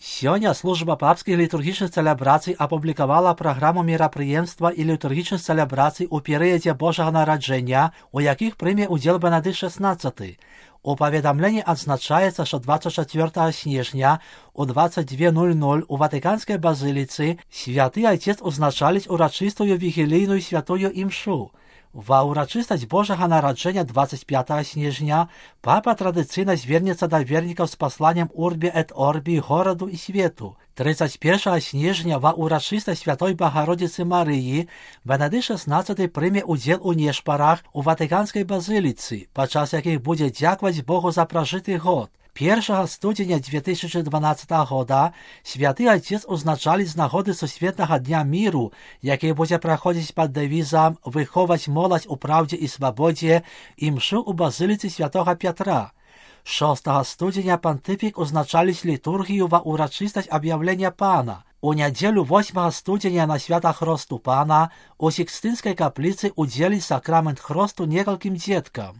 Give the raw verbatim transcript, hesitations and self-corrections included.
Сёння служба папскіх літургічных цэлебрацый апублікавала праграму мерапрыемства і літургічных цэлебрацый у перыядзе Божага нараджэння, у якіх прыме ўдзел Бенедыкт шаснаццаты. У паведамленні адзначаецца, што дваццаць чацвёртага снежня у дваццаць две нуль нуль у Ватыканскай базыліцы святы Айцец узначаліць урачыстую вігілійную святую імшу. Ва ўрачыстасць Божага нараджэння дваццаць пятага снежня папа традыцыйна звернецца да вернікаў з пасланнем Урбі эт Орбі гораду і свету. трыццаць першага снежня ва ўрачыстасць Святой Багародзіцы Марыі Бенедыкт шаснаццаты прыме ўдзел у нешпарах у Ватыканскай базыліцы, падчас якіх будзе дзякаваць Богу за пражыты год. першага студзеня две тысячы дванаццатага года святы Айцец узначаліць з нагоды сусветнага дня міру, які будзе праходзіць пад дэвізам «Выховаць моладзь у праўдзе і свабодзе» імшу ў базыліцы святога Пятра. шостага студзеня пантыфік узначаліць літургію ва ўрачыстасць аб'яўлення Пана. У нядзелю восьмага студзеня на свята Хросту Пана у Сікстынскай капліцы ўдзеліць сакрамент хросту некалькім дзеткам.